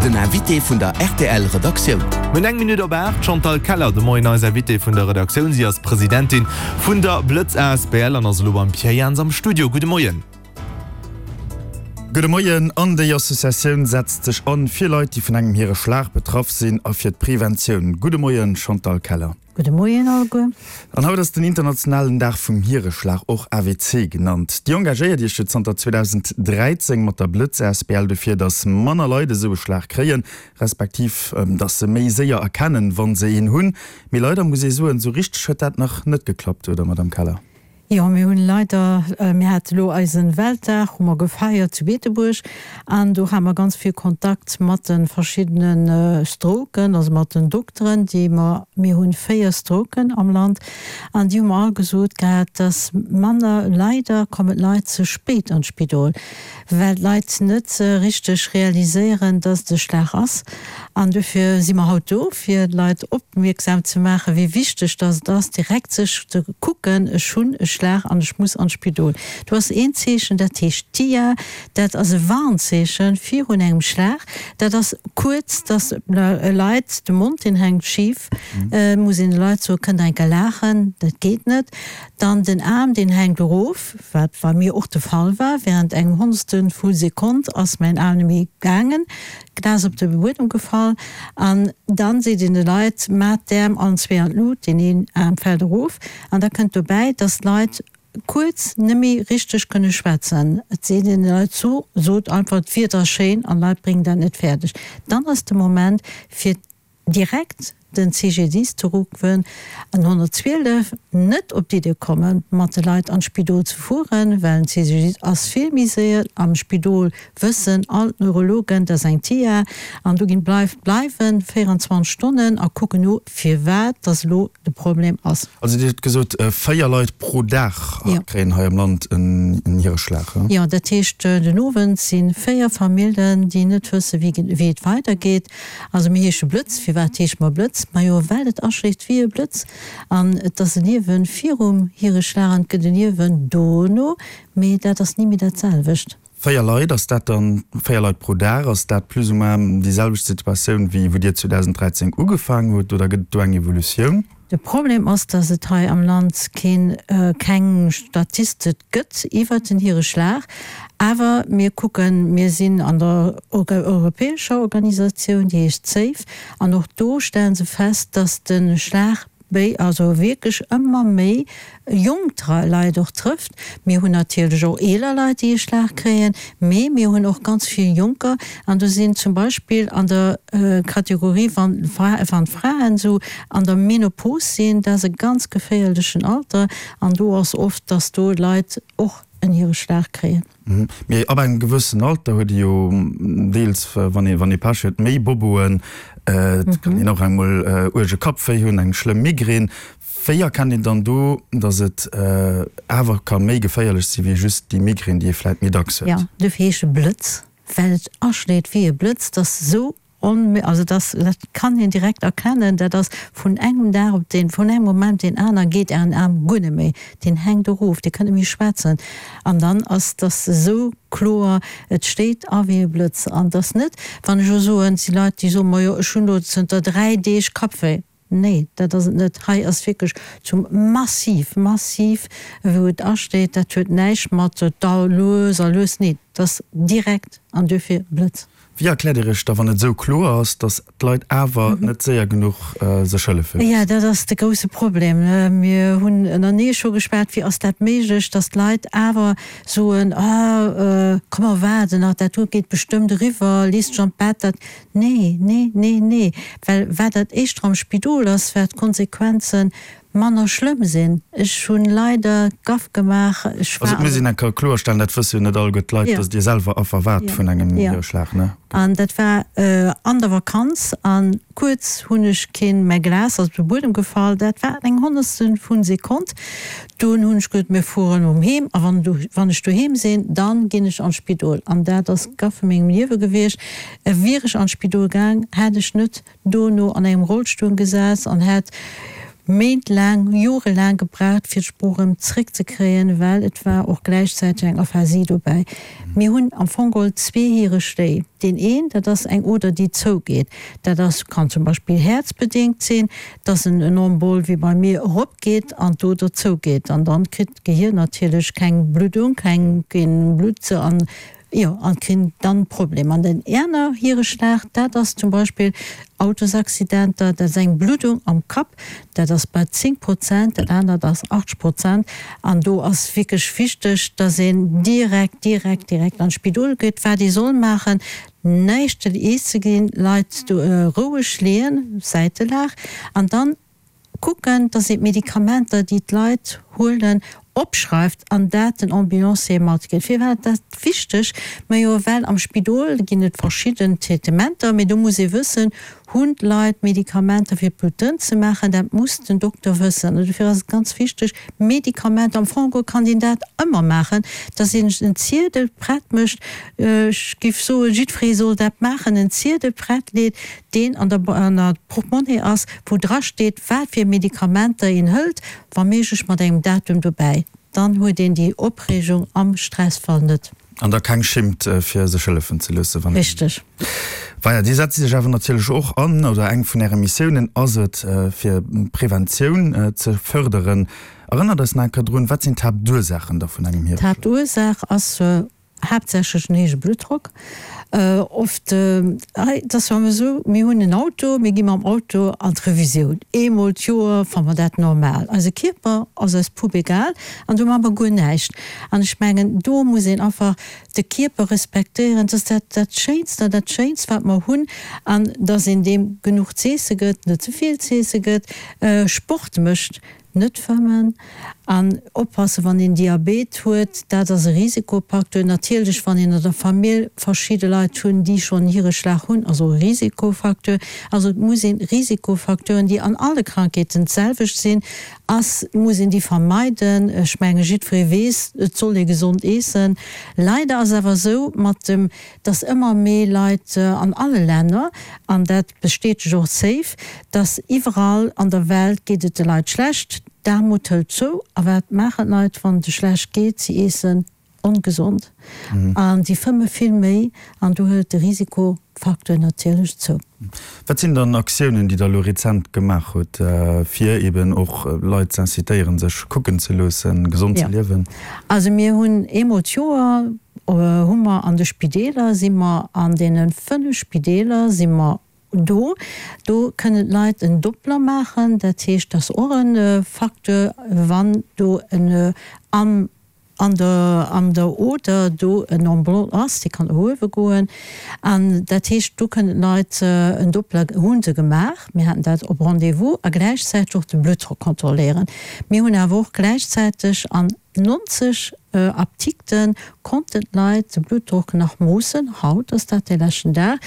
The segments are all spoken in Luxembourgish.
Den Invité vun der rtl Redaktioun. Mir hunn eng Minutt op 8. D'Chantal Keller de Moien eis Invitée vun der Redaktioun. Si ass Presidentin vun der Blëtz asbl an ass elo beim Pierre Jans am Studio. Gudde Moien. Gudde Moien. An déi Associatioun setzt sech an fir Leit, déi vun engem hire Schlag betraff sinn a fir d'Preventioun. Gudde Moien, Chantal Keller. Gudde Moien alleguer. An haut ass den internationalen Dag vum Hiereschlag, och AWC genannt. Dir engagéiert Iech jo zanter 2013 mat der Blëtz asbl dofir, datt manner Leit esou e Schlag kréien, respektiv datt se méi séier erkennen, wa se een hunn. Mee leider muss ee soen, esou richteg huet dat nach net geklappt, oder Madamm Keller? Jo, mir hunn leider, mir hate lo eisen Weltdag, hu mer gefeiert zu Beetebuerg an do hate mer ganz vill Kontakt mat de verschiddene Stroken, also mat den Dokteren, déi mer, mir hunn 4 Stroken am Land an déi hu mer all gesot gehat, dass manner, leider kommen d'Leit ze spéit an d'Spidol. well d'Leit net richteg realiséieren, dass et e Schlag ass. An dofir si mer haut do, fir d'Leit opmierksam ze maachen, wéi wichteg dass et ass, direkt sech ze kucken, ech hunn e Schlag an ech muss an d'Spidol. Do ass een Zeechen, dat heescht TIA, dat ass e Warnzeeche virun engem Schlag. Dat ass kuerz, dass Leit, de Mond deen hänkt schif, muss een de Leit soen, kënnt der eng Kéier laachen, dat geet net. Dann den Aarm, deen hänkt erof. Wat bei mir och de Fall war, während engem Honnertstel vu Sekonn ass mäin Aarm net méi gaangen, d'Glas op de Buedem gefall an dann seet een de Leit, Maat d'Äerm allen zwee an d'Lut, deen een Aarm fält erof an da kënnt dobäi, dass d'Leit kuerz net méi richteg kënne schwätzen. Et seet een de Leit, so, sot einfach, d'Wieder ass schéin an d'Leit bréngen dat net fäerdeg. Dann ass de Moment fir direkt den CGDIS ze ruffen an 112, net op d'Idee kommen, mat de Leit an d'Spidol ze fueren, well den CGDIS ass vill méi séier. Am Spidol wëssen all d'Neurologen, dat ass eng TIA, an do ginn d'Leit bleiwen 24 Stonnen a kucken no, firwat dass elo de Problem ass. Also Dir hutt gesot, 4 Leit pro Dag kréien hei am Land en Hiereschlag. Jo, dat heescht, den Owend si 4 Familljen, déi net wësse wéi et weidergeet. Also mir heesche Blëtz. Firwat heesche mer Blëtz? Majo well et aschléit wéi e Blëtz. An et ass e Liewen virum Hiereschlag an et gëtt e Liewen dono, mee dat ass ni méi dat selwecht. 4 Leit, ass dat dann, 4 Leit pro Dag, ass dat plus ou moins déi selwecht Situatioun wéi wou Dir 2013 ugefaang hutt oder gëtt et do eng Evolutioun? De Problem ass, dass et hei am Land keen, keng Statistik gëtt iwwert den Hiereschlag. Awer mir kucken, mir sinn an der europäescher Organisatioun, déi heescht SAFE, an och do stelle se fest, dass de Schlag béi, also wierklech ëmmer méi jonk Leit och trëfft. Mir hunn natierlech och eeler Leit, déi e Schlag kréien, mee mir hunn och ganz vill Jonker. An do sinn zum Beispill an der Kategorie, wann d'Fraen esou an der Menopause sinn, dat ass e ganz geféierlechen Alter. An do ass oft, dass do Leit och en hire Schlag kréien. Mee ab engem gewëssen Alter huet ee jo deels, wann ee wann ee Pech huet, méi Boboen. Et kann een och engmol uerge Kappwéi hunn, eng schlëmm Migrän. Wéi erkennt een dann do, datt et awer ka méi geféierlech si wéi just déi Migrän, déi ee vläit méi dacks huet? Jo, dofir heescht e Blëtz, well et aschléit wéi e Blëtz, dass esou on, also dass, dat kann een direkt erkennen, dat ass vun engem Dag op deen, vun engem Moment op deen aner geet Ären Aarm guer net méi, deen hänkt erof, Dir kënnt net méi schwätzen an dann ass dass esou kloer, et stéit a wéi e Blëtz an dass net, wann ech elo soen, et si Leit, déi soen, majo ech hunn elo zënter 3 Deeg Kappwéi. Nee, dat ass et net. Hei ass wierklech zum massiv, massiv, wou et asteet. Dat huet näischt mat da lues a lues, nee, dat ass direkt an duerfir Blëtz. Wéi erkläert Dir Iech da, wann et esou kloer ass, datt d'Leit awer net séier genuch sech hëllefe loossen? Jo, dat ass de grousse Problem. Mir hunn ënnerenee scho geschwat, wéi ass dat méiglech, datt d'Leit awer soen, ah, komm mer waarden nach, dat do geet bestëmmt eriwwer, lees dech an d'Bett, dat. Nee, nee, nee, nee, well wat dat éischter am Spidol ass, wat d'Konsequenze manner schlëmm sinn. Ech hunn leider Gaff gemaach, ech war. Also et muss een eng Kéier kloerstellen, dat wësse jo net alleguer d'Leit, datt Dir selwer Affer waart vun engem Nidderschlag, ne? An dat war an der Vakanz a kuerz hunn ech keen, mäi Glas ass op de Buedem gefall, dat war eng Honnertstel vu Sekonn. Dunn hunn ech gesot, mir fueren erëm heem a wann wann ech doheem sinn, dann ginn ech an d'Spidol. An dat ass d'Gaff vu mengem Liewe gewiescht. Wier ech an d'Spidol gaang, hätt ech net dono an engem Rollstull gesäss an hätt. Méint laang, jorelaang gebraucht, fir d'Sprooch erëm zréckzekréien, well et war och gläichzäiteg eng Aphasie dobäi. Mir hunn am Fong geholl zwee Hireschléi. Deen een, dat ass eng Oder, déi zougeet. Dat ass, kann zum Beispill häerzbedéngt sinn, dass en Embool wéi bei mir eropgeet an d'Oder zougeet. An dann kritt d'Gehir natierlech keng Bluddung, keng, keen Blutt an Jo, an krin dann Problem. An den aner Hiereschlag, dat ass zum Beispill Autosaccidenter, dat ass eng Bluddung am Kapp, dat ass bei 10 Prozent, dat anert ass 80 Prozent. An do ass wierklech wichteg, dass een direkt, direkt, direkt an d'Spidol geet. Wat ee soll maachen, näischt eens ze ginn, Leit do roueg leeën, Säitelag, an dann Kucken, dass een d'Medikamenter, déi d'Leit huelen, opschreift an dat den Ambulancier matgëtt. Firwat ass dat wichteg? Majo, well am Spidol ginn et verschidden Traitementer, mee do muss ee wëssen, Hunn d'Leit Medikamenter fir d'Blutt dënn ze maachen? Dat muss den Dokter wëssen. An dofir ass et ganz wichteg, Medikamenter, am Fong geholl kann een dat ëmmer maachen, dass een en Ziedel prett mécht, ech géif soen, jiddweree soll dat maachen, en Ziedel prett leet, deen an der an der Portemonnaie ass, wou dra steet, wat fir Medikamenter een hëlt, wa méiglech mat engem Datum dobäi. Dann huet een déi Opreegung am Stressfall net. An da keng Schimmt fir sech hëllefen ze loossen, wann een. Richteg. Weier, Dir setzt Iech awer natierlech och an, oder eng vun Äre Missiounen ass et, fir Preventioun ze fërderen. Erënnert eis nach eng Kéier drun, wat sinn d'Haaptursaachen da vun engem Hiereschlag? D'Haaptursaach ass Haaptsächlech den héije Bluttdrock. Oft, hei, et ass jo ëmmer esou, mir hunn en Auto, mir gi mam Auto an d'Revisioun. Eemol d'Joer fanne mer dat normal. Eise Kierper ass eis pupp egal an do maache mer guer näischt. An ech mengen, do muss een einfach de Kierper respektéieren. Dat ass dat, dat Schéinst an dat Schéinst, wat mer hunn. An dass een deem genuch z'eesse gëtt, net ze vill z'eesse gëtt, Sport mécht. Net fëmmen an oppassen wann een Diabet huet, dat ass e Risikofaktor. Natierlech wann een an der Famill verschidde Leit hunn déi schonn Hireschlag hunn, ass och e Risikofaktor. Also et muss een Risikofacteuren déi an alle Krankheeten d'selwecht sinn, ass, muss een déi vermeiden. Ech menge jiddweree weess, et soll ee gesond eessen. Leider ass awer esou mat dem, dass ëmmer méi Leit an alle Länner, an dat bestätegt och d'SAFE, dass iwwerall an der Welt geet et de Leit schlecht, d'Aarmut hëlt zou. A wat maachen d'Leit, wann et e schlecht geet? Si eessen ongesond an si fëmme vill méi an do hëlt de Risikofacteur natierlech zou. Wat sinn dann Aktiounen, déi Der elo rezent gemaach hutt, fir eben och Leit ze incitéieren, sech kucken ze loossen, gesond ze liewen? Also mir hunn eemol d'Joer hu mer an de Spideeler, si mer an deene 5 Spideeler si mer do. Do kënnen d'Leit en Doppler maachen. Dat heescht, dat ass och e Facteur, wann do en am an der an der Oder do en Embrun ass, dee kann eruewe goen. An dat heescht, do kënnen d'Leit en Doppler, hu se gemaach, mir haten dat op Rendez-vous, a gläichzäiteg och de Bluttdrock kontrolléieren. Mir hunn awer och gläichzäiteg an 90 Apdikte konnten d'Leit de Bluttdrock nach moossen, haut ass dat dee leschten Dag.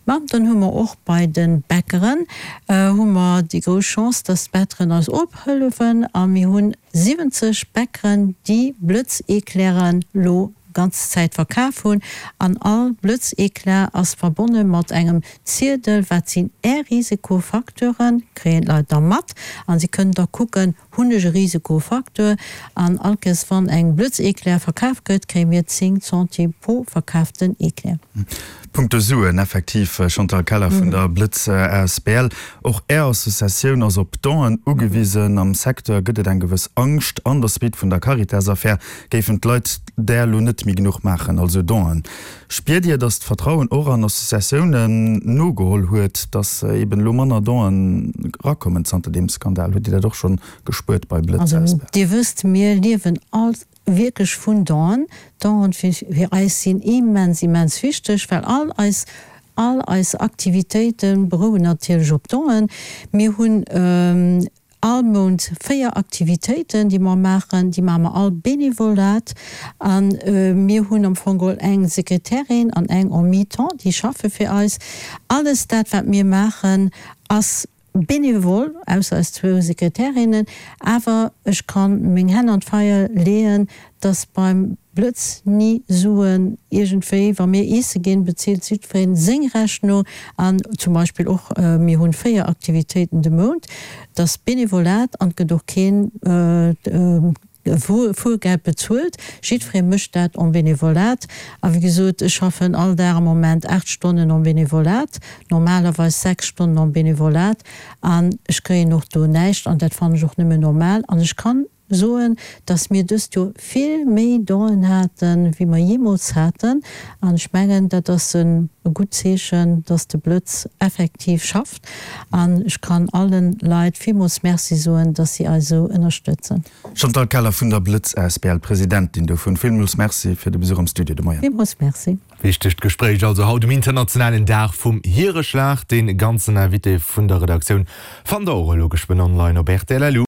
Mä dann hu mer och bei de Bäckeren hu mer déi grouss Chance, dass d'Bäckeren eis ophëllefen a mir hunn 70 Bäckeren, déi Blëtz-Eclairen lo ganz Zäit verkaf hunn. An all Blëtz-Eclair ass verbonne mat engem Ziedel, wat sinn Är Risikofacteuren, kréien d'Leit da mat a si kënnen da kucken, Hunn ech e Risikofacteur? An all Kéiers wann eng Blëtz-Eclair verkaf gëtt, kréie mir 10 Centimes pro verkaaften Eclair. Punkto Suen, effektiv, Chantal Keller vun der Blëtz asbl, och Är Associatioun ass op Donen ugewisen. Am Secteur gëtt et eng gewëss Angscht. An der Suite vun der Caritas-Affär géifen d'Leit där elo net méi genuch maachen, also Donen. Spiert Dir, datt d'Vertrauen och an Associatiounen nogeholl huet, datt eben elo manner Donen erakommen zanter deem Skandal? Hutt Dir dat och schonn gespuert bei Blëtz Also Dir wësst, mir liewen all wierklech vun Donen. Donen fir eis sinn immens, immens wichteg, well all eis, all eis Aktivitéite berouen natierlech op Donen. Mir hunn All Mount 4 Aktivitéiten, déi mer maachen. Déi maache mer all Benevolat. A mir hunn am Fong geholl eng Sekretärin an eng en mi-temps, déi schaffe fir eis. Alles dat, wat mir maachen, ass benevol, ausser eis zwou Sekretärinnen. Awer ech ka meng Hänn an d'Feier leeën, dass beim. Blëtz ni Suen iergendwéi. Wa mir iesse ginn, bezilt jiddwereen seng Rechnung. An zum Beispill och, mir hunn 4 Aktivitéiten de Mount, dat ass Benevolat an et gëtt och keen Fuergeld bezuelt. Jiddweree mécht dat en Benevolat. A wéi gesot, ech schaffen all Dag am Moment 8 Stonnen en Benevolat, normalerweis 6 Stonnen en Benevolat an ech kréien och do näischt an dat fannen ech och nëmme normal. An ech kann soen, dass mir dëst Joer vill méi Donen haten, wéi mer jeemools haten. An ech mengen, dat ass e gutt Zeechen, dass de Blëtz effektiv schafft. An ech kann allen Leit villmools Merci soen, dass si eis esou ënnerstëtzen. Chantal Keller vun der Blëtz asbl, Presidentin dovun, villmools Merci fir de Besuch am Studio de Moien. Villmools Merci. Wichtegt Gespréich also haut um internationalen Dag vum Hiereschlag. Dee ganzen Invité vun der Redaktioun fannt der och elo geschwënn online op rtl.